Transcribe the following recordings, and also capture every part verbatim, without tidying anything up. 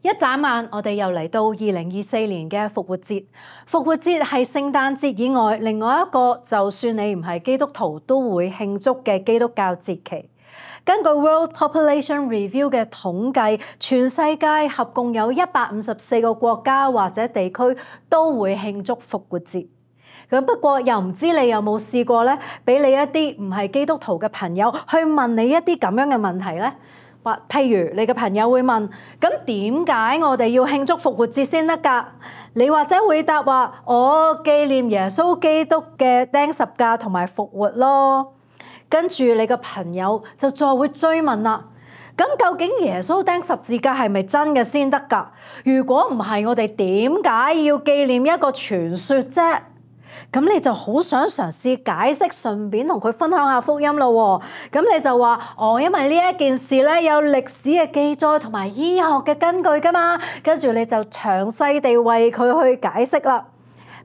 一眨眼，我哋又嚟到二零二四年嘅復活節。復活節係聖誕節以外另外一個，就算你唔係基督徒都會慶祝嘅基督教節期。根據 World Population Review 嘅統計，全世界合共有一百五十四個國家或者地區都會慶祝復活節。咁不過又唔知你有冇試過咧，俾你一啲唔係基督徒嘅朋友去問你一啲咁樣嘅問題咧？或譬如你嘅朋友會問：咁點解我哋要慶祝復活節先得㗎？你或者會答話：我紀念耶穌基督嘅釘十架同埋復活咯。跟住你嘅朋友就再會追問啦：咁究竟耶穌釘十字架係咪真嘅先得㗎？如果唔係，我哋點解要紀念一個傳說啫？咁你就好想嘗試解釋，順便同佢分享下福音咯。咁你就話：哦，因為呢一件事咧有歷史嘅記載同埋醫學嘅根據㗎嘛。跟住你就詳細地為佢去解釋啦。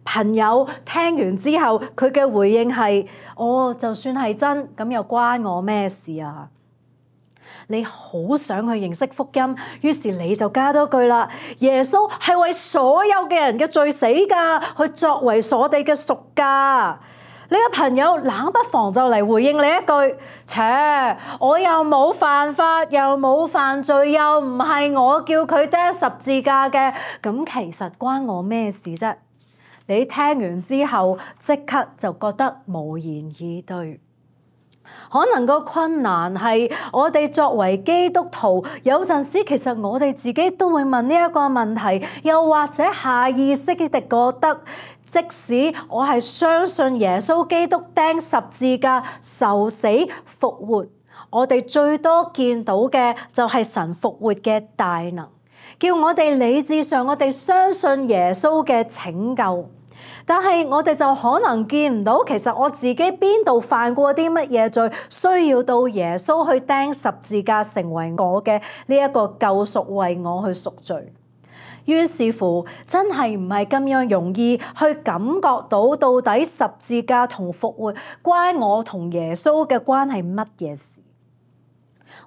朋友聽完之後，佢嘅回應係：哦，就算係真，咁又關我咩事啊？你好想去認識福音，於是你就加多句啦：耶穌係為所有嘅人嘅罪死㗎，去作為我哋嘅贖價。你嘅朋友冷不防就嚟回應你一句：切，我又冇犯法，又冇犯罪，又唔係我叫佢釘十字架嘅，咁其實關我咩事啫？你聽完之後，即刻就覺得無言以對。可能個困難係我哋作為基督徒，有陣時其實我哋自己都會問呢一個問題，又或者下意識地覺得，即使我係相信耶穌基督釘十字架、受死、復活，我哋最多見到嘅就係神復活嘅大能，叫我哋理智上我哋相信耶穌嘅拯救。但係我哋就可能見唔到，其實我自己邊度犯過啲乜嘢罪，需要到耶穌去釘十字架成為我嘅呢一個救贖，為我去贖罪。於是乎，真係唔係咁樣容易去感覺到到底十字架同復活關我同耶穌嘅關係乜嘢事。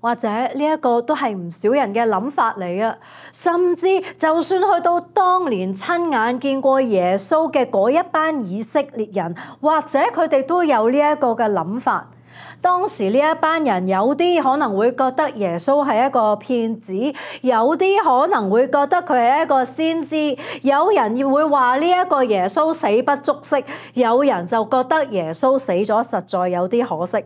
或者呢一個都係唔少人嘅諗法嚟啊！甚至就算去到當年親眼見過耶穌嘅嗰一班以色列人，或者佢哋都有呢一個嘅諗法。當時呢一班人有啲可能會覺得耶穌係一個騙子，有啲可能會覺得佢係一個先知，有人會話呢一個耶穌死不足惜，有人就覺得耶穌死咗實在有啲可惜。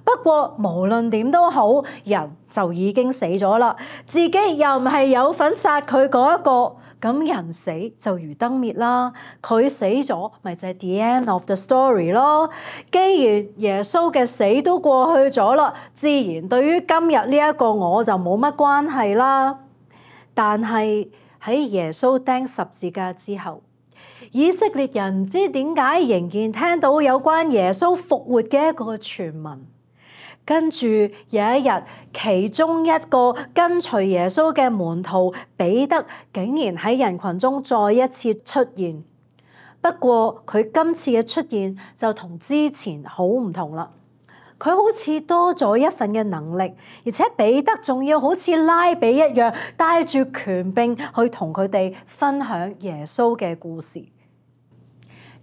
不過無論點都好，人就已經死咗啦，自己又唔係有份殺佢嗰一個，咁人死就如燈滅啦，佢死咗咪就係 the end of the story 咯。既然耶穌嘅死都過去咗啦，自然對於今日呢一個我就冇乜關係啦。但係喺耶穌釘十字架之後，以色列人唔知點解仍然聽到有關耶穌復活嘅一個傳聞。跟住有一日，其中一個跟隨耶穌嘅門徒彼得竟然喺人群中再一次出現。不過佢今次嘅出現就同之前好唔同啦。佢好似多咗一份嘅能力，而且彼得仲要好似拉比一樣帶住權柄去同佢哋分享耶穌嘅故事。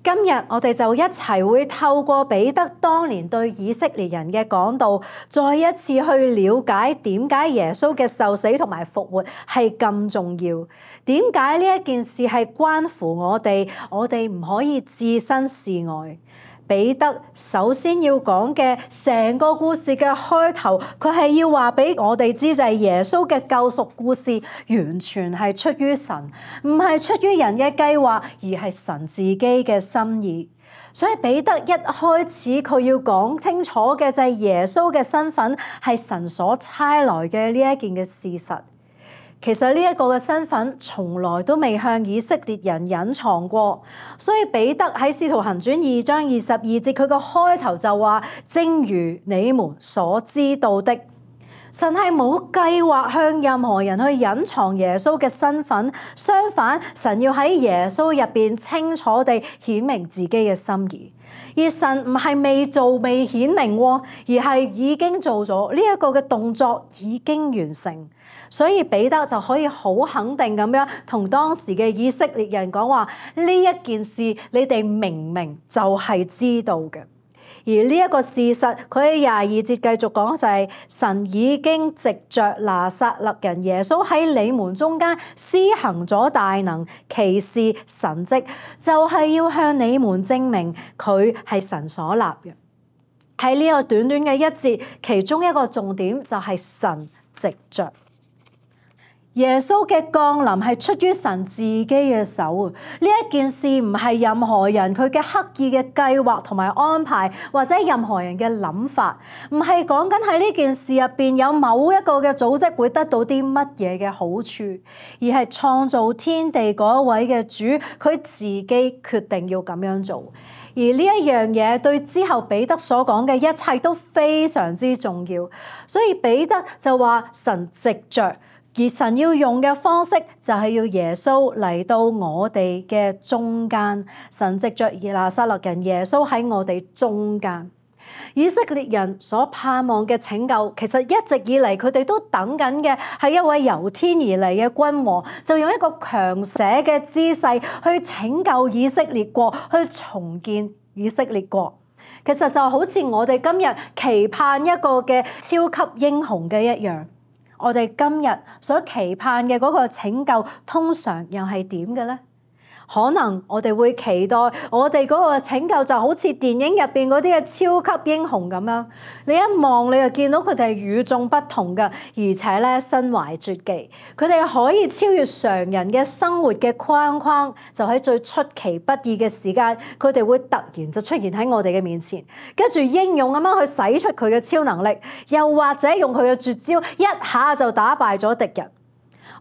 今日我哋就一齊會透過彼得當年對以色列人嘅講道，再一次去了解點解耶穌嘅受死同埋復活係咁重要，點解呢一件事係關乎我哋，我哋唔可以置身事外。彼得首先要講嘅成個故事嘅開頭，佢係要話俾我哋知，就係耶穌嘅救贖故事完全係出於神，唔係出於人嘅計劃，而係神自己嘅心意。所以彼得一開始佢要講清楚嘅就係耶穌嘅身份係神所差來嘅呢一件嘅事實。其實呢一個嘅身份從來都未向以色列人隱藏過，所以彼得喺《使徒行傳》二章二十二節，佢個開頭就話：正如你們所知道的。神係冇計劃向任何人去隱藏耶穌嘅身份，相反，神要喺耶穌入邊清楚地顯明自己嘅心意。而神唔係未做未顯明，而係已經做咗呢一個嘅動作，已經完成。所以彼得就可以好肯定咁樣同當時嘅以色列人講話：呢一件事你哋明明就係知道嘅。而呢一個事實，佢喺廿二節繼續講就係、是、神已經藉着拿撒勒人耶穌喺你們中間施行咗大能、奇事、神蹟，就係、是、要向你們證明佢係神所立嘅。喺呢個短短嘅一節，其中一個重點就係神藉着。耶穌嘅降臨係出於神自己嘅手。呢一件事唔係任何人佢嘅刻意嘅計劃同埋安排，或者任何人嘅諗法，唔係講緊喺呢件事入邊有某一個嘅組織會得到啲乜嘢嘅好處，而係創造天地嗰一位嘅主，佢自己決定要咁樣做。而呢一樣嘢對之後彼得所講嘅一切都非常之重要，所以彼得就話神藉着。而神要用嘅方式就係要耶穌嚟到我哋嘅中間，神藉着拿撒勒人耶穌喺我哋中間。以色列人所盼望嘅拯救，其實一直以嚟佢哋都等緊嘅係一位由天而嚟嘅君王，就用一個強捨嘅姿勢去拯救以色列國，去重建以色列國。其實就好似我哋今日期盼一個嘅超級英雄嘅一樣。我哋今日所期盼嘅嗰個拯救，通常又係點嘅咧？可能我哋會期待我哋嗰個拯救就好似電影入邊嗰啲嘅超級英雄咁樣，你一望你就見到佢哋係與眾不同嘅，而且咧身懷絕技，佢哋可以超越常人嘅生活嘅框框，就喺最出其不意嘅時間，佢哋會突然就出現喺我哋嘅面前，跟住英勇咁樣去使出佢嘅超能力，又或者用佢嘅絕招一下就打敗咗敵人。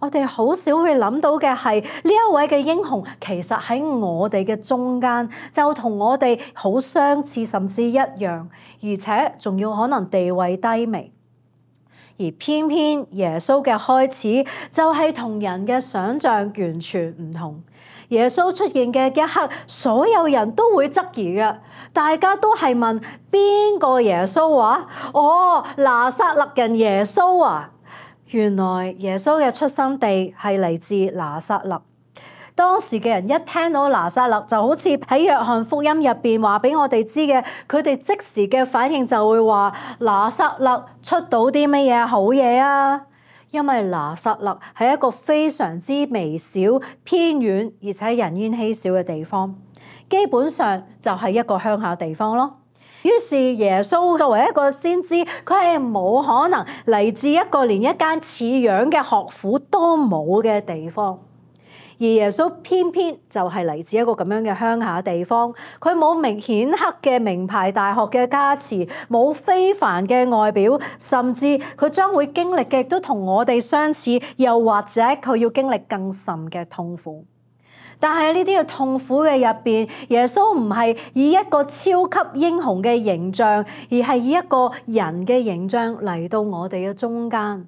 我哋好少會諗到嘅係呢一位嘅英雄，其實喺我哋嘅中間，就同我哋好相似，甚至一樣，而且仲要可能地位低微。而偏偏耶穌嘅開始就係同人嘅想像完全唔同。耶穌出現嘅一刻，所有人都會質疑嘅，大家都係問邊個耶穌啊？哦，拿撒勒人耶穌啊！原來耶穌嘅出生地係嚟自拿撒勒。當時嘅人一聽到拿撒勒，就好似喺約翰福音入邊話俾我哋知嘅，佢哋即時嘅反應就會話：拿撒勒出到啲乜嘢好嘢啊？因為拿撒勒係一個非常之微小、偏遠而且人煙稀少嘅地方，基本上就係一個鄉下地方咯。於是耶穌作為一個先知，佢係冇可能嚟自一個連一間似樣嘅學府都冇嘅地方，而耶穌偏偏就係嚟自一個咁樣嘅鄉下地方，佢冇明顯赫嘅名牌大學嘅加持，冇非凡嘅外表，甚至佢將會經歷嘅都同我哋相似，又或者佢要經歷更甚嘅痛苦。但係呢啲嘅痛苦嘅入邊，耶穌唔係以一個超級英雄嘅形象，而係以一個人嘅形象嚟到我哋嘅中間。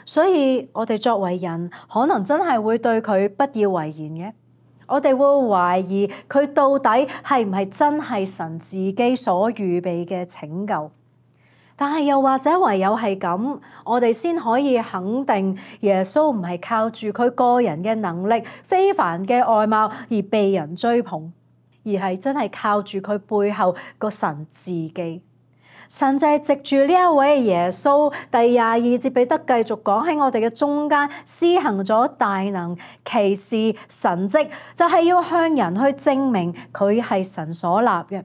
所以我哋作為人，可能真係會對佢不以為然嘅。我哋會懷疑佢到底係唔係真係神自己所預備嘅拯救。但係又或者唯有係咁，我哋先可以肯定耶穌唔係靠住佢個人嘅能力、非凡嘅外貌而被人追捧，而係真係靠住佢背後個神自己。神就係藉住呢一位耶穌，第廿二節彼得繼續講喺我哋嘅中間施行咗大能、奇事、神蹟，就係要向人去證明佢係神所立嘅。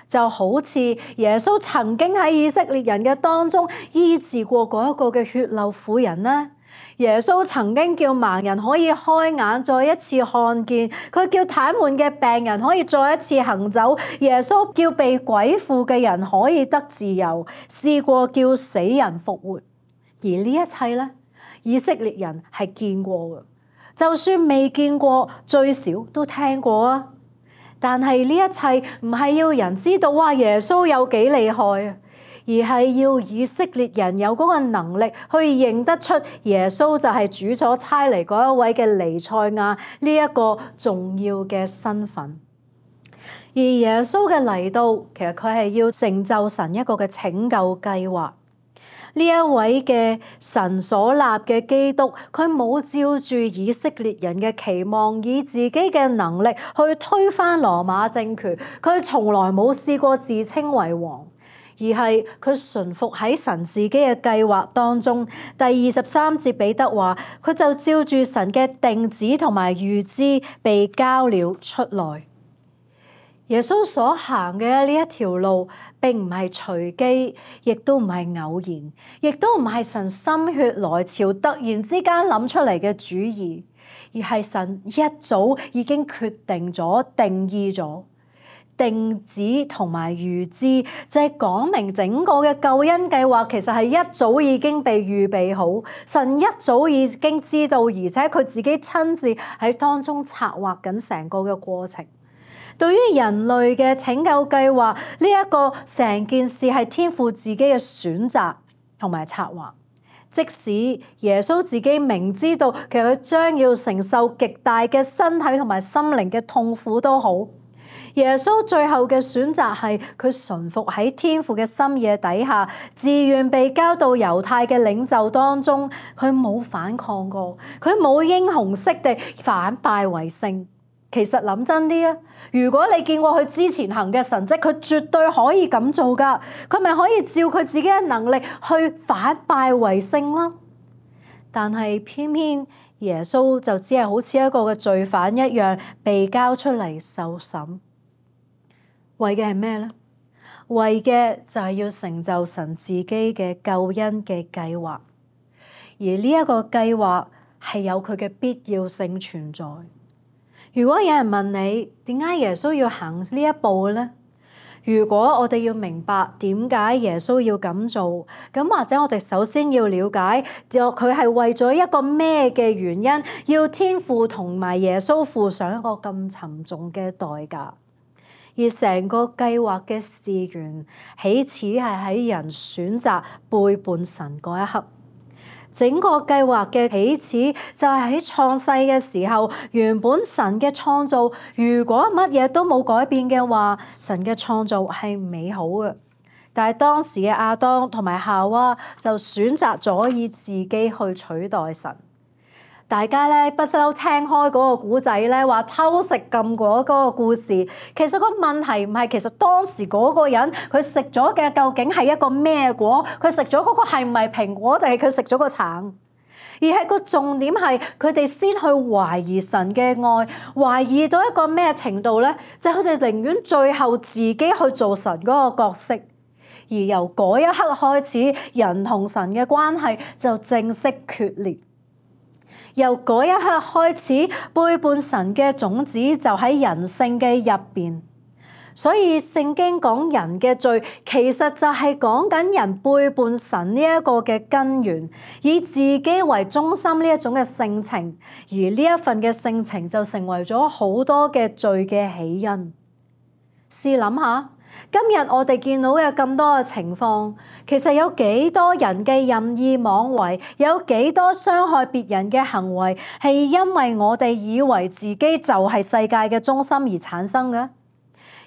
就好似耶穌曾經喺以色列人嘅當中醫治過嗰一個嘅血漏婦人啦，耶穌曾經叫盲人可以開眼再一次看見，佢叫癱瘓嘅病人可以再一次行走，耶穌叫被鬼附嘅人可以得自由，試過叫死人復活。而呢一切咧，以色列人係見過嘅，就算未見過，最少都聽過啊。但係呢一切唔係要人知道哇耶穌有幾厲害啊，而而係要以色列人有嗰個能力去認得出耶穌就係主所差嚟嗰一位嘅彌賽亞呢一個重要嘅身份。而耶穌嘅嚟到，其實佢係要成就神一個嘅拯救計劃。呢一位嘅神所立嘅基督，佢冇照住以色列人嘅期望，以自己嘅能力去推翻羅馬政權。佢從來冇試過自稱為王，而係佢順服喺神自己嘅計劃當中。第二十三節彼得話，佢就照住神嘅定旨同埋預知被交了出來。耶穌所行嘅呢一條路並唔係隨機，亦都唔係偶然，亦都唔係神心血來潮突然之間諗出嚟嘅主意，而係神一早已經決定咗、定義咗。定旨同埋預知就係講明整個嘅救恩計劃其實係一早已經被預備好，神一早已經知道，而且佢自己親自喺當中策劃緊成個嘅過程。對於人類嘅拯救計劃，呢一個成件事係天父自己嘅選擇同埋策劃。即使耶穌自己明知道其實佢將要承受極大嘅身體同埋心靈嘅痛苦都好，耶穌最後嘅選擇係佢順服喺天父嘅心意底下，自願被交到猶太嘅領袖當中，佢冇反抗過，佢冇英雄式地反敗為勝。其實諗真啲啊，如果你見過佢之前行嘅神蹟，佢絕對可以咁做噶，佢咪可以照佢自己嘅能力去反敗為勝咯。但係偏偏耶穌就只係好似一個嘅罪犯一樣被交出嚟受審，為嘅係咩呢？為嘅就係要成就神自己嘅救恩嘅計劃，而呢一個計劃係有佢嘅必要性存在。如果有人問你點解耶穌要行呢一步呢？如果我哋要明白點解耶穌要咁做，咁或者我哋首先要了解，就佢係為咗一個咩嘅原因，要天父同埋耶穌付上一個咁沉重嘅代價。而成個計劃嘅事源，起始係喺人選擇背叛神嗰一刻。整個計劃嘅起始就係喺創世嘅時候，原本神嘅創造，如果乜嘢都冇改變嘅話，神嘅創造係美好嘅。但係當時嘅亞當同埋夏娃就選擇咗以自己去取代神。大家咧不嬲聽開嗰個古仔咧，話偷食禁果嗰個故事，其實個問題唔係其實當時嗰個人佢食咗嘅究竟係一個咩果，佢食咗嗰個係唔係蘋果，定係佢食咗個橙？而係個重點係佢哋先去懷疑神嘅愛，懷疑到一個咩程度咧？就係佢哋寧願最後自己去做神嗰個角色，而由嗰一刻開始，人同神嘅關係就正式決裂。由嗰一刻開始，背叛神嘅種子就喺人性嘅入邊。所以聖經講人嘅罪，其實就係講緊人背叛神呢一個嘅根源，以自己為中心呢一種嘅性情，而呢一份嘅性情就成為咗好多嘅罪嘅起因。試諗下，今日我哋見到嘅咁多嘅情況，其實有幾多人嘅任意妄為，有幾多傷害別人嘅行為，係因為我哋以為自己就係世界嘅中心而產生嘅？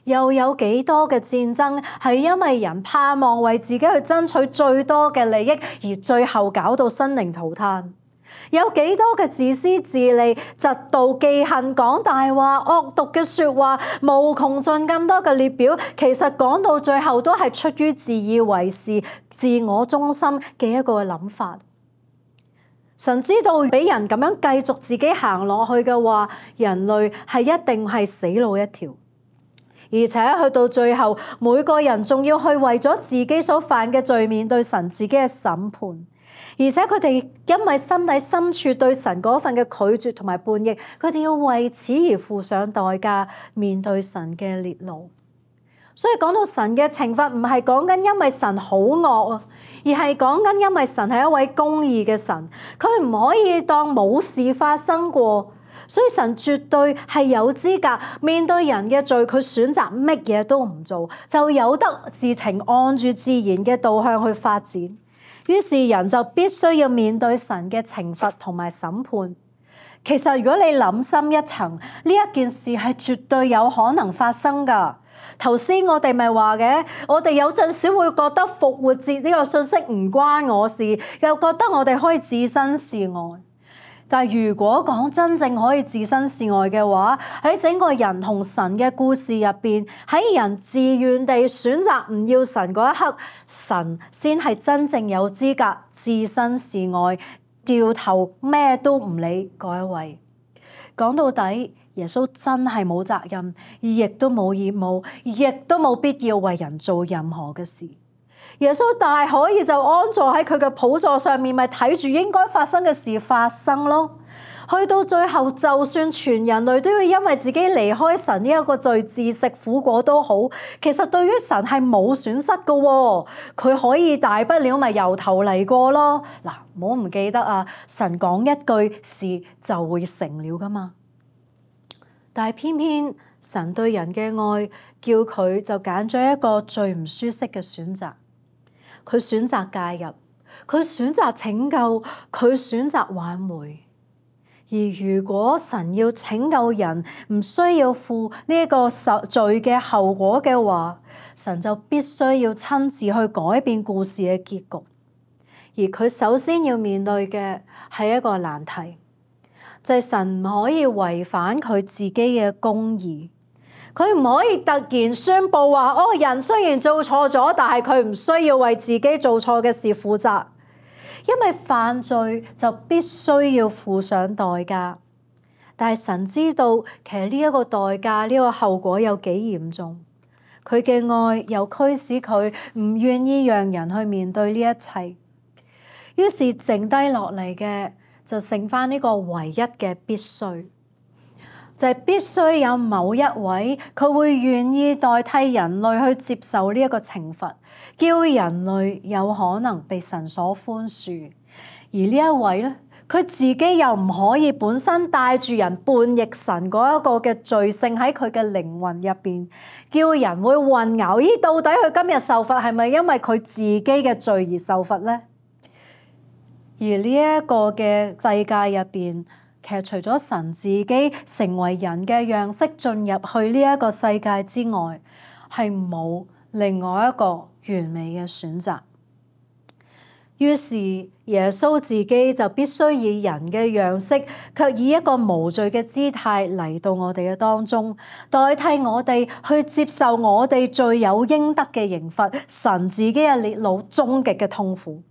又有幾多嘅戰爭係因為人盼望為自己去爭取最多嘅利益，而最後搞到生靈塗炭？有幾多嘅自私自利、嫉妒忌恨、講大話、惡毒嘅說話，無窮盡咁多嘅列表，其實講到最後都係出於自以為是、自我中心嘅一個諗法。神知道俾人咁樣繼續自己行落去嘅話，人類係一定係死路一條。而且去到最後，每個人仲要去為咗自己所犯嘅罪面對神自己嘅審判，而且佢哋因為心底深處對神嗰份嘅拒絕同埋叛逆，佢哋要為此而付上代價，面對神嘅烈怒。所以講到神嘅懲罰，唔係講緊因為神好惡啊，而係講緊因為神係一位公義嘅神，佢唔可以當冇事發生過。所以神絕對係有資格面對人嘅罪，佢選擇乜嘢都唔做，就有得事情按住自然嘅導向去發展。於是人就必須要面對神嘅懲罰同埋審判。其實如果你諗深一層，呢一件事係絕對有可能發生㗎。頭先我哋咪話嘅，我哋有陣時會覺得復活節呢個信息唔關我事，又覺得我哋可以置身事外。但係如果講真正可以置身事外嘅話，喺整個人同神嘅故事入邊，喺人自願地選擇唔要神嗰一刻，神先係真正有資格置身事外，掉頭咩都唔理嗰一位。講到底，耶穌真係冇責任，而亦都冇義務，亦都冇必要為人做任何嘅事。耶穌大可以就安坐喺佢嘅寶座上面，咪睇住應該發生嘅事發生咯。去到最後，就算全人類都要因為自己離開神呢一個罪自食苦果都好，其實對於神係冇損失㗎喎。佢可以大不了咪由頭嚟過咯。嗱，唔好唔記得啊，神講一句，事就會成了㗎嘛。但係偏偏神對人嘅愛，叫佢就揀咗一個最唔舒適嘅選擇。佢選擇介入，佢選擇拯救，佢選擇挽回。而如果神要拯救人，唔需要負呢一個罪嘅後果嘅話，神就必須要親自去改變故事嘅結局。而佢首先要面對嘅係一個難題，就係神唔可以違反佢自己嘅公義。佢唔可以突然宣佈話，哦，人雖然做錯咗，但係佢唔需要為自己做錯嘅事負責，因為犯罪就必須要付上代價。但係神知道，其實呢一個代價，呢個後果有幾嚴重。佢嘅愛又驅使佢唔願意讓人去面對呢一切，於是剩低落嚟嘅就剩返呢個唯一嘅必須。就係必須有某一位，佢會願意代替人類去接受呢一個懲罰，叫人類有可能被神所寬恕。而呢一位咧，佢自己又唔可以本身帶住人叛逆神嗰一個嘅罪性喺佢嘅靈魂入邊，叫人會混淆。咦，到底佢今日受罰係咪因為佢自己嘅罪而受罰咧？而呢一個嘅世界入邊，其實除咗神自己成為人嘅樣式進入去呢一個世界之外，係冇另外一個完美嘅選擇。於是耶穌自己就必須以人嘅樣式，卻以一個無罪嘅姿態嚟到我哋嘅當中，代替我哋去接受我哋罪有應得嘅刑罰，神自己嘅烈怒，終極嘅痛苦。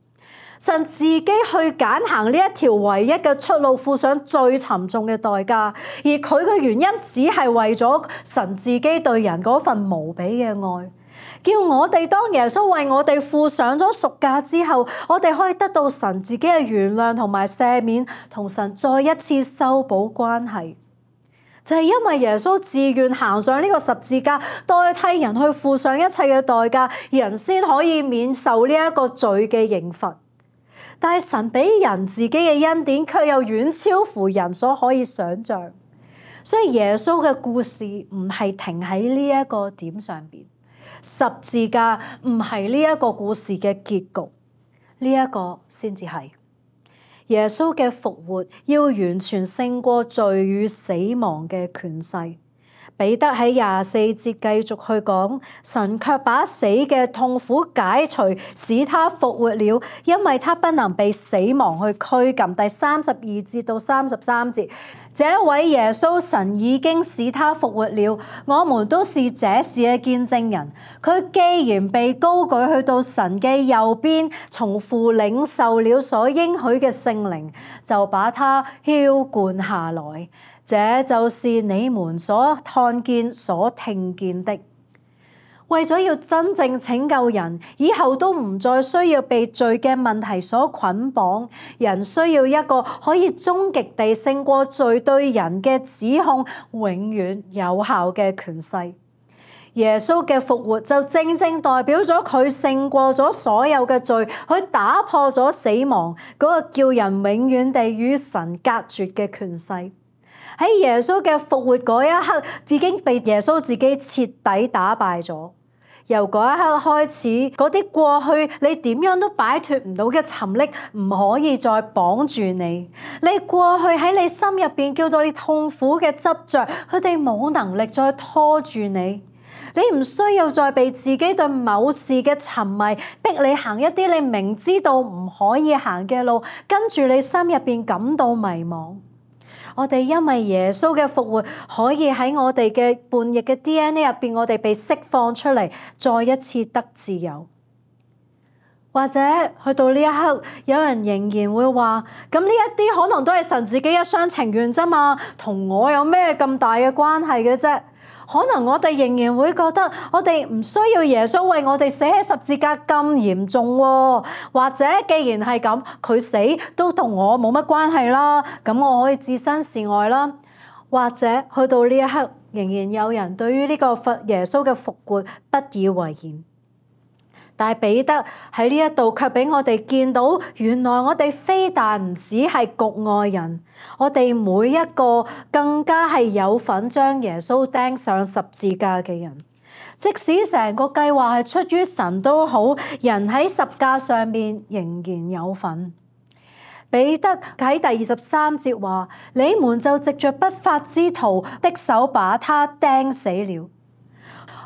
神自己去揀行呢一條唯一嘅出路，付上最沉重嘅代價，而佢嘅原因只係為咗神自己對人嗰份無比嘅愛，叫我哋當耶穌為我哋付上咗贖價之後，我哋可以得到神自己嘅原諒同埋赦免，同神再一次修補關係。就係因為耶穌自願行上呢個十字架，代替人去付上一切嘅代價，人先可以免受呢一個罪嘅刑罰。但係神俾人自己嘅恩典，卻又遠超乎人所可以想像。所以耶穌嘅故事唔係停喺呢一個點上邊，十字架唔係呢一個故事嘅結局，呢一個先至係耶穌嘅復活，要完全勝過罪與死亡嘅權勢。彼得喺廿四節繼續去講，神卻把死嘅痛苦解除，使他復活了，因為他不能被死亡去拘禁。第三十二節到三十三節，這一位耶穌，神已經使他復活了，我們都是這事嘅見證人。佢既然被高舉去到神嘅右邊，從父領受了所應許嘅聖靈，就把他澆灌下來。這就是你們所看見、所聽見的。為咗要真正拯救人，以後都唔再需要被罪嘅問題所捆綁，人需要一個可以終極地勝過罪對人嘅指控，永遠有效嘅權勢。耶穌嘅復活就正正代表咗佢勝過咗所有嘅罪，佢打破咗死亡嗰個叫人永遠地與神隔絕嘅權勢。喺耶穌嘅復活嗰一刻，已經被耶穌自己徹底打敗咗。由嗰一刻開始，嗰啲過去你點樣都擺脫唔到嘅沉溺，唔可以再綁住你。你過去喺你心入邊叫到你痛苦嘅執着，佢哋冇能力再拖住你。你唔需要再被自己對某事嘅沉迷，逼你行一啲你明知道唔可以行嘅路，跟住你心入邊感到迷茫。我哋因為耶穌嘅復活，可以喺我哋嘅叛逆嘅 D N A 入邊，我哋被釋放出嚟，再一次得自由。或者去到呢一刻，有人仍然會話：咁呢一啲可能都係神自己一廂情願啫嘛，同我有咩咁大嘅關係嘅啫？可能我哋仍然會覺得，我哋唔需要耶穌為我哋死喺十字架咁嚴重喎。或者既然係咁，佢死都同我冇乜關係啦，咁我可以置身事外啦。或者去到呢一刻，仍然有人對於呢個耶穌嘅復活不以為然。但係彼得喺呢一度卻俾我哋見到，原來我哋非但唔止係局外人，我哋每一個更加係有份將耶穌釘上十字架嘅人。即使成個計劃係出於神都好，人喺十架上面仍然有份。彼得喺第二十三節話：你們就藉着不法之徒的手把他釘死了。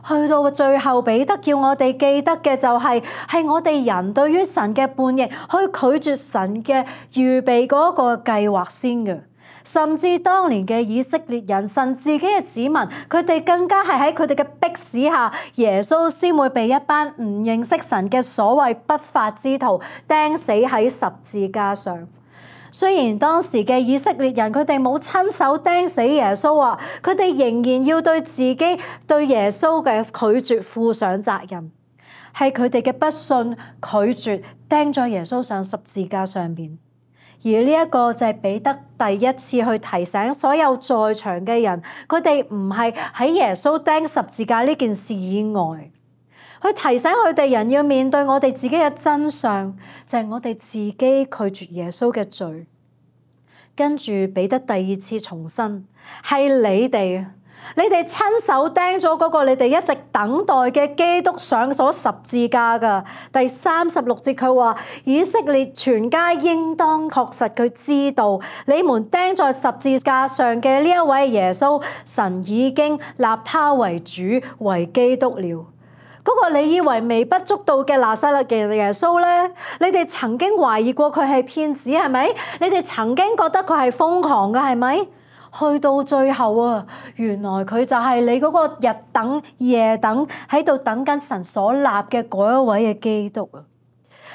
去到最後，彼得叫我哋記得嘅就係、是，係我哋人對於神嘅叛逆，去拒絕神嘅預備嗰個計劃先嘅。甚至當年嘅以色列人，神自己嘅子民，佢哋更加係喺佢哋嘅迫使下，耶穌先會被一班唔認識神嘅所謂不法之徒釘死喺十字架上。雖然當時嘅以色列人佢哋冇親手釘死耶穌啊，佢哋仍然要對自己對耶穌嘅拒絕負上責任，係佢哋嘅不信拒絕釘咗耶穌上十字架上邊。而呢一個就係彼得第一次去提醒所有在場嘅人，佢哋唔係喺耶穌釘十字架呢件事以外，去提醒佢哋人要面對我哋自己嘅真相，就係我哋自己拒絕耶穌嘅罪。跟住彼得第二次重申，係你哋，你哋親手釘咗嗰個你哋一直等待嘅基督上咗十字架噶。第三十六節佢話：以色列全家應當確實佢知道，你們釘在十字架上嘅呢一位耶穌，神已經立他為主為基督了。嗰個你以為微不足道嘅拿撒勒嘅耶穌咧，你哋曾經懷疑過佢係騙子係咪？你哋曾經覺得佢係瘋狂嘅係咪？去到最後啊，原來佢就係你嗰個日等夜等喺度等緊神所立嘅嗰一位嘅基督啊！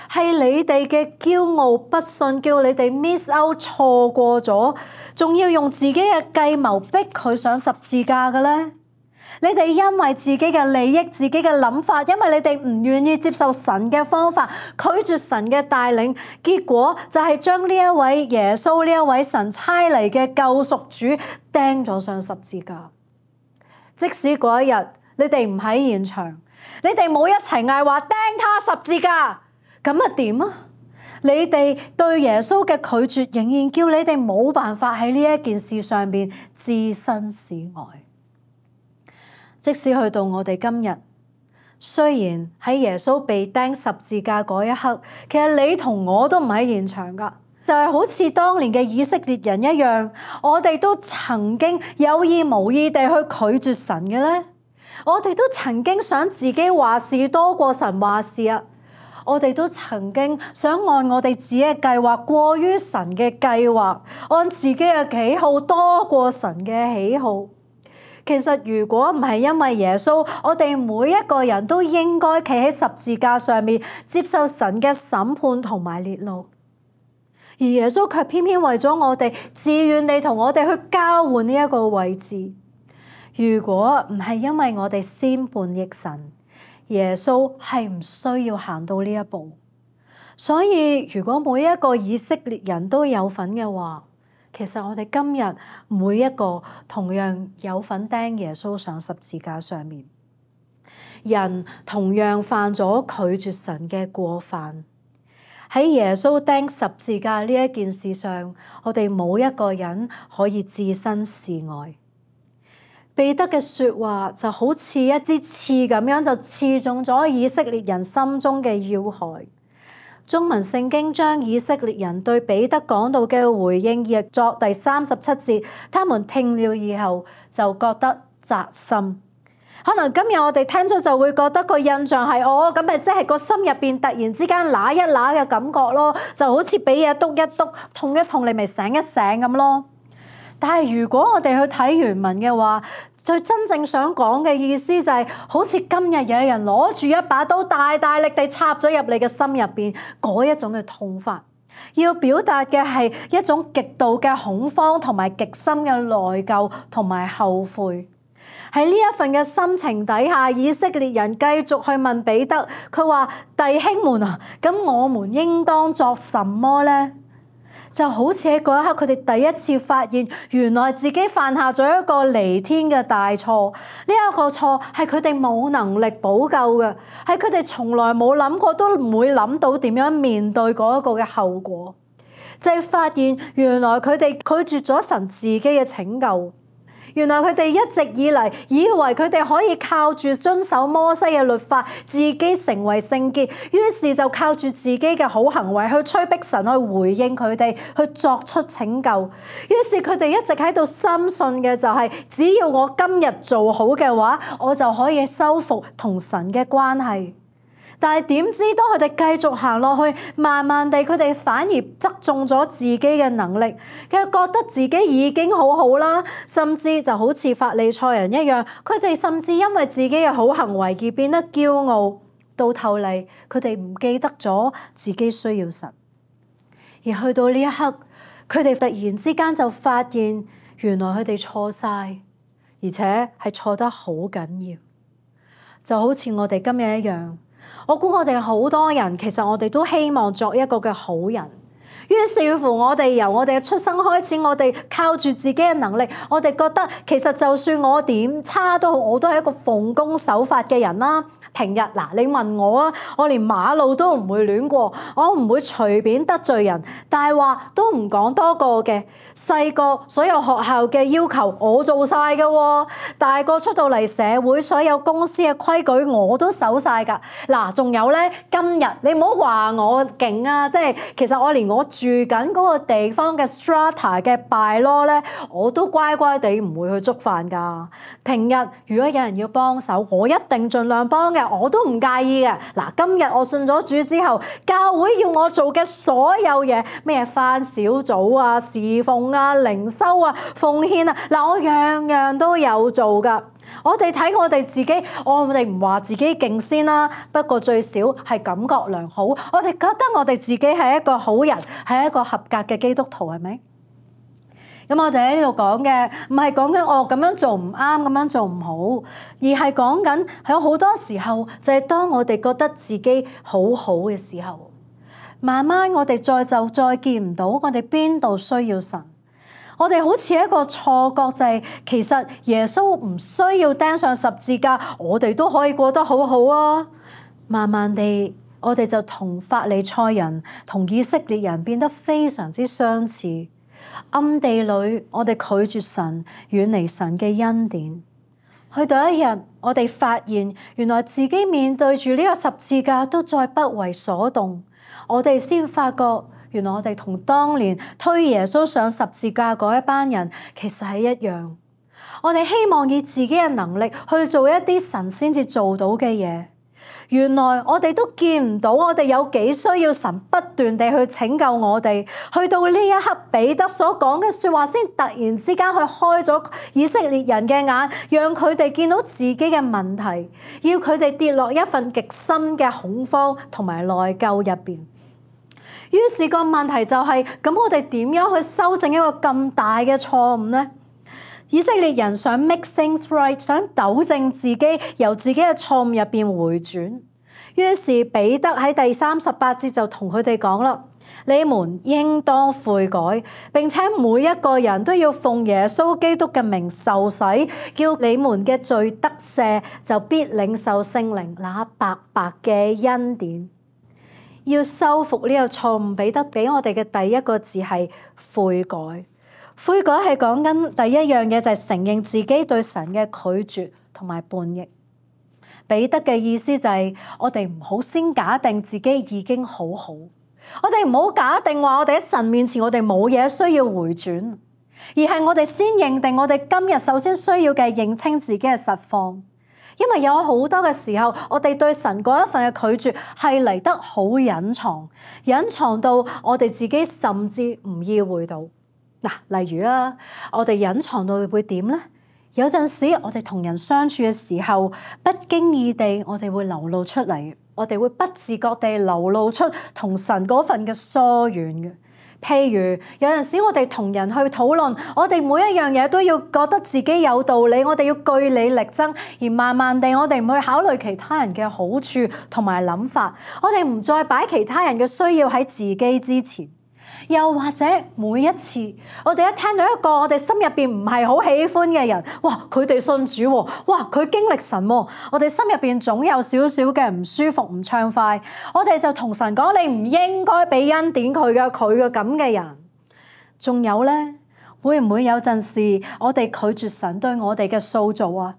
係你哋嘅驕傲不信，叫你哋 miss out 錯過咗，仲要用自己嘅計謀逼佢上十字架嘅咧？你哋因為自己嘅利益、自己嘅諗法，因為你哋唔願意接受神嘅方法，拒絕神嘅帶領，結果就係將呢一位耶穌、呢一位神差嚟嘅救贖主釘咗上十字架。即使嗰一日你哋唔喺現場，你哋冇一齊嗌話釘他十字架，咁啊點啊？你哋對耶穌嘅拒絕，仍然叫你哋冇辦法喺呢一件事上面置身事外。即使去到我哋今日，雖然喺耶穌被釘十字架嗰一刻，其實你同我都唔喺現場噶，就係好似當年嘅以色列人一樣，我哋都曾經有意無意地去拒絕神嘅咧，我哋都曾經想自己話事多過神話事啊，我哋都曾經想按我哋自己嘅計劃過於神嘅計劃，按自己嘅喜好多過神嘅喜好。其實如果唔係因為耶穌，我哋每一個人都應該企喺十字架上面接受神嘅審判同埋烈怒，而耶穌卻偏偏為咗我哋自願地同我哋去交換呢一個位置。如果唔係因為我哋先叛逆神，耶穌係唔需要行到呢一步。所以如果每一個以色列人都有份嘅話，其實我哋今日每一個同樣有份釘耶穌上十字架上面，人同樣犯咗拒絕神嘅過犯。喺耶穌釘十字架呢一件事上，我哋冇一個人可以置身事外。彼得嘅說話就好似一支刺咁樣，就刺中咗以色列人心中嘅要害。中文聖經將以色列人對彼得講到嘅回應譯作第三十七節，他們聽了以後就覺得扎心。可能今日我哋聽咗就會覺得個印象係哦，咁咪即係個心入邊突然之間揦一揦嘅感覺咯，就好似俾嘢篤一篤，痛一痛，你咪醒一醒咁咯。但係如果我哋去睇原文嘅話，最真正想講嘅意思就係、是，好似今日有人攞住一把刀，大大力地插咗入你嘅心入邊，嗰一種嘅痛法，要表達嘅係一種極度嘅恐慌同埋極深嘅內疚同埋後悔。喺呢一份嘅心情底下，以色列人繼續去問彼得，佢話：弟兄們啊，咁我們應當作什麼呢？就好似喺嗰一刻，佢哋第一次發現，原來自己犯下咗一個彌天嘅大錯。呢一個錯係佢哋冇能力補救嘅，係佢哋從來冇諗過，都唔會諗到點樣面對嗰一個嘅後果。就係發現原來佢哋拒絕咗神自己嘅拯救。原來佢哋一直以嚟以為佢哋可以靠住遵守摩西嘅律法，自己成為聖潔，於是就靠住自己嘅好行為去催逼神去回應佢哋，去作出拯救。於是佢哋一直喺度深信嘅就係，只要我今日做好嘅話，我就可以修復同神嘅關係。但係點知當佢哋繼續行落去，慢慢地佢哋反而側重咗自己嘅能力，佢覺得自己已經好好啦，甚至就好似法利賽人一樣，佢哋甚至因為自己嘅好行為而變得驕傲，到頭嚟佢哋唔記得咗自己需要神。而去到呢一刻，佢哋突然之間就發現，原來佢哋錯晒，而且係錯得好緊要，就好似我哋今日一樣。我估我哋好多人，其實我哋都希望作一個嘅好人。於是乎，我哋由我哋嘅出生開始，我哋靠住自己嘅能力，我哋覺得其實就算我點差都好，我都係一個奉公守法嘅人啦。平日嗱，你問我啊，我連馬路都唔會亂過，我唔會隨便得罪人，大話都唔講多個嘅。細個所有學校嘅要求我做晒嘅喎，大個出到嚟社會，所有公司嘅規矩我都守晒㗎。嗱，仲有咧，今日你唔好話我勁啊，即係其實我連我住緊嗰個地方嘅 strata 嘅 bylaw 咧，我都乖乖地唔會去觸犯㗎。平日如果有人要幫手，我一定盡量幫嘅。我都唔介意嘅。嗱，今日我信咗主之後，教會要我做嘅所有嘢，咩返小組啊、侍奉啊、靈修啊、奉獻啊，嗱，我樣樣都有做噶。我哋睇我哋自己，我哋唔話自己勁先啦，不過最少係感覺良好。我哋覺得我哋自己係一個好人，係一個合格嘅基督徒，係咪？咁我哋喺呢度講嘅唔係講緊我咁樣做唔啱，咁樣做唔好，而係講緊喺好多時候就係當我哋覺得自己好好嘅時候，慢慢我哋再就再見唔到我哋邊度需要神。我哋好似一個錯覺，就係其實耶穌唔需要釘上十字架，我哋都可以過得好好啊。慢慢地，我哋就同法利賽人、同以色列人變得非常之相似。暗地裏，我哋拒絕神，遠離神嘅恩典。去到一日，我哋發現原來自己面對住呢個十字架都再不為所動。我哋先發覺，原來我哋同當年推耶穌上十字架嗰一班人其實係一樣。我哋希望以自己嘅能力去做一啲神先至做到嘅嘢。原來我哋都見唔到，我哋有幾需要神不斷地去拯救我哋。去到呢一刻，彼得所講嘅說話先突然之間去開咗以色列人嘅眼，讓佢哋見到自己嘅問題，要佢哋跌落一份極深嘅恐慌同埋內疚入邊。於是個問題就係，咁我哋點樣去修正一個咁大嘅錯誤呢？以色列人想 make things right， 想糾正自己，由自己嘅錯誤入邊回轉。於是彼得喺第三十八節就同佢哋講啦：你們應當悔改，並且每一個人都要奉耶穌基督嘅名受洗，叫你們嘅罪得赦，就必領受聖靈那白白嘅恩典。要修復呢個錯誤，彼得俾我哋嘅第一個字係悔改。悔改係講緊第一樣嘢，就係承認自己對神嘅拒絕同埋叛逆。彼得嘅意思就係我哋唔好先假定自己已經好好，我哋唔好假定話我哋喺神面前我哋冇嘢需要回轉，而係我哋先認定我哋今日首先需要嘅認清自己嘅實況。因為有好多嘅時候，我哋對神嗰一份嘅拒絕係嚟得好隱藏，隱藏到我哋自己甚至唔意會到。嗱，例如啊，我哋隱藏到會點呢？有陣時我哋同人相處嘅時候，不經意地我哋會流露出嚟，我哋會不自覺地流露出同神嗰份嘅疏遠嘅。譬如有陣時我哋同人去討論，我哋每一樣嘢都要覺得自己有道理，我哋要據理力爭，而慢慢地我哋唔去考慮其他人嘅好處同埋諗法，我哋唔再擺其他人嘅需要喺自己之前。又或者每一次我哋一聽到一個我哋心入邊唔係好喜歡嘅人，哇，佢哋信主喎，哇，佢經歷神喎，我哋心入邊總有少少嘅唔舒服、唔暢快，我哋就同神講：你唔應該俾恩典佢嘅，佢嘅咁嘅人。仲有呢，會唔會有陣時我哋拒絕神對我哋嘅塑造啊？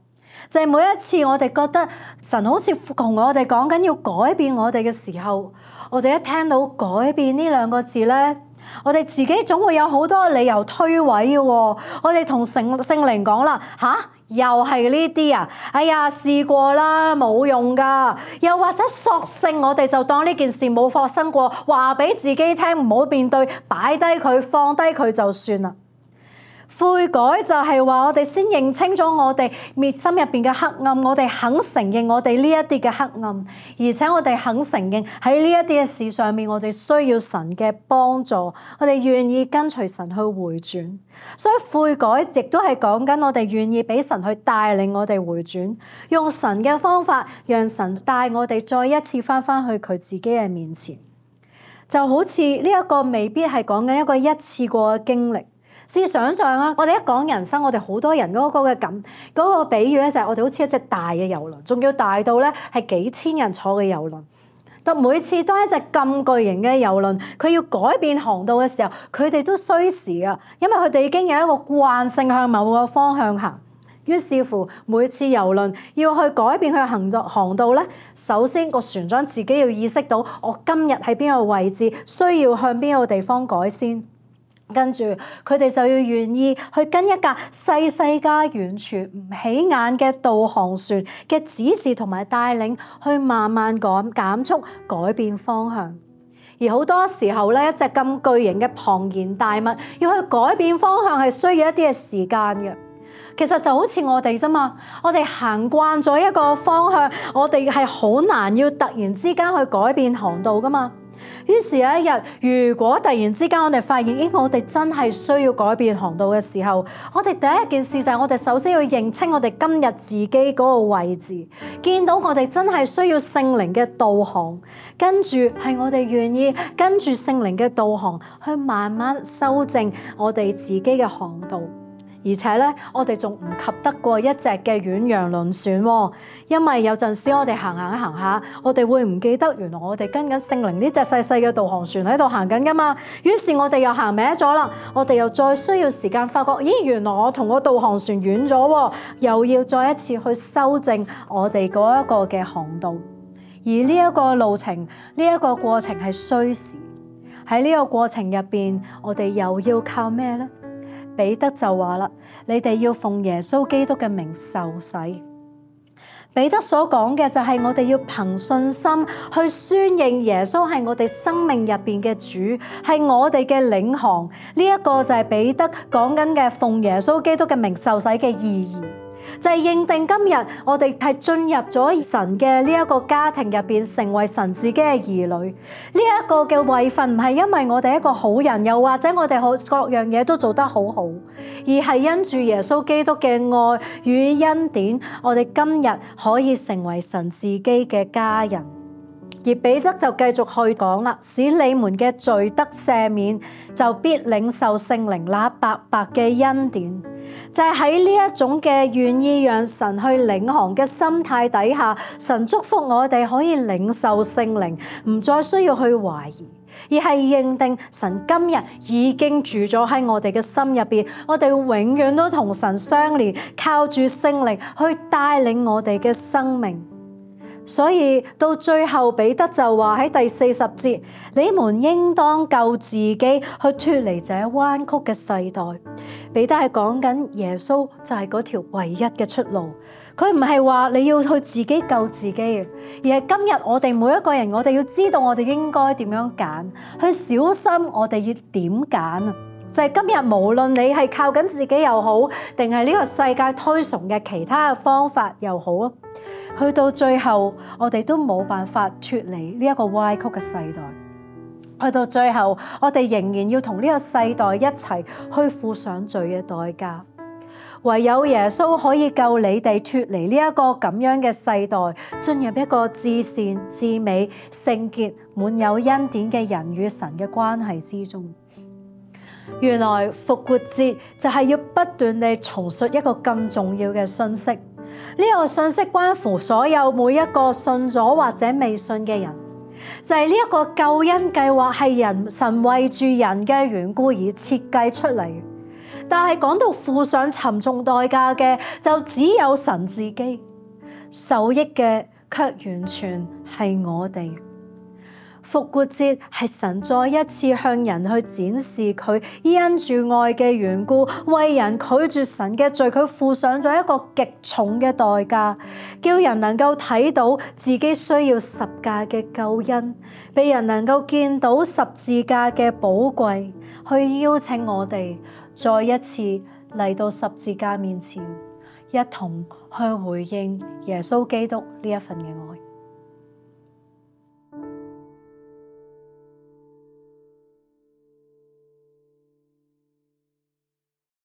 就係每一次我哋覺得神好似同我哋講緊要改變我哋嘅時候，我哋一聽到改變呢兩個字呢，我哋自己總會有好多理由推諉嘅喎。我哋同聖聖靈講啦，吓，又係呢啲啊，哎呀，試過啦，冇用噶。又或者索性我哋就當呢件事冇發生過，話俾自己聽，唔好面對，擺低佢，放低佢就算啦。悔改就係話我哋先認清咗我哋面心入邊嘅黑暗，我哋肯承認我哋呢一啲嘅黑暗，而且我哋肯承認喺呢一啲嘅事上面，我哋需要神嘅幫助，我哋願意跟隨神去回轉。所以悔改亦都係講緊我哋願意俾神去帶領我哋回轉，用神嘅方法，讓神帶我哋再一次翻返去佢自己嘅面前。就好似呢一個未必係講緊一個一次過嘅經歷。試想像啊，我哋一講人生，我哋好多人嗰個嘅感嗰個比喻咧，就係我哋好似一隻大嘅遊輪，仲要大到咧係幾千人坐嘅遊輪。但每次當一隻咁巨型嘅遊輪，佢要改變航道嘅時候，佢哋都需時啊，因為佢哋已經有一個慣性向某個方向行。於是乎，每次遊輪要去改變佢行航航道咧，首先個船長自己要意識到，我今日喺邊個位置，需要向邊個地方改先。跟住佢哋就要願意去跟一架細細家完全唔起眼嘅導航船嘅指示同埋帶領，去慢慢減減速改變方向。而好多時候咧，一隻咁巨型嘅龐然大物要去改變方向係需要一啲嘅時間嘅。其實就好似我哋啫嘛，我哋行慣咗一個方向，我哋係好難要突然之間去改變航道噶嘛。於是有一日，如果突然之間我哋發現，咦，我哋真係需要改變航道嘅時候，我哋第一件事就係我哋首先要認清我哋今日自己嗰個位置，見到我哋真係需要聖靈嘅導航，跟住係我哋願意跟住聖靈嘅導航去慢慢修正我哋自己嘅航道。而且咧，我哋仲唔及得過一隻嘅遠洋輪船喎，因為有陣時我哋行行行下，我哋會唔記得原來我哋跟緊聖靈呢隻細細嘅導航船喺度行緊噶嘛。於是我哋又行歪咗啦，我哋又再需要時間發覺，咦，原來我同個導航船遠咗喎，又要再一次去修正我哋嗰一個嘅航道。而呢一個路程，呢一個過程係需時。喺呢個過程入邊，我哋又要靠咩呢？彼得就話啦，你哋要奉耶穌基督嘅名受洗。彼得所講嘅就係我哋要憑信心去宣認耶穌係我哋生命入邊嘅主，係我哋嘅領航。呢一個就係彼得講緊嘅奉耶穌基督嘅名受洗嘅意義。就係認定今日我哋係進入咗神嘅呢一個家庭入邊，成為神自己嘅兒女。呢一個嘅位份唔係因為我哋一個好人，又或者我哋好各樣嘢都做得好好，而係因住耶穌基督嘅愛與恩典，我哋今日可以成為神自己嘅家人。而彼得就繼續去講啦，使你們嘅罪得赦免，就必領受聖靈那白白嘅恩典。就係喺呢一種嘅願意讓神去領航嘅心態底下，神祝福我哋可以領受聖靈，唔再需要去懷疑，而係認定神今日已經住咗喺我哋嘅心入邊，我哋永遠都同神相連，靠住聖靈去帶領我哋嘅生命。所以到最後彼得就話喺第四十節，你們應當救自己去脫離這彎曲嘅世代。彼得係講緊耶穌就係嗰條唯一嘅出路，佢唔係話你要去自己救自己，而係今日我哋每一個人，我哋要知道我哋應該點樣揀，去小心我哋要點揀啊！就係今日無論你係靠緊自己又好，定係呢個世界推崇嘅其他嘅方法又好啊，去到最後我哋都冇辦法脫離呢一個歪曲嘅世代。去到最後我哋仍然要同呢個世代一齊去付上罪嘅代價。唯有耶穌可以救你哋脫離呢一個咁樣嘅世代，進入一個至善至美聖潔滿有恩典嘅人與神嘅關係之中。原來復活節就係要不斷地重述一個咁重要嘅信息，呢個信息關乎所有每一個信咗或者未信嘅人，就係呢一個救恩計劃係人神為住人嘅緣故而設計出嚟，但係講到付上沉重代價嘅就只有神自己，受益嘅卻完全係我哋。復活節係神再一次向人去展示佢因住愛嘅緣故，為人拒絕神嘅罪，佢付上咗一個極重嘅代價，叫人能夠睇到自己需要十架嘅救恩，俾人能夠見到十字架嘅寶貴，去邀請我哋再一次嚟到十字架面前，一同去回應耶穌基督呢一份嘅愛。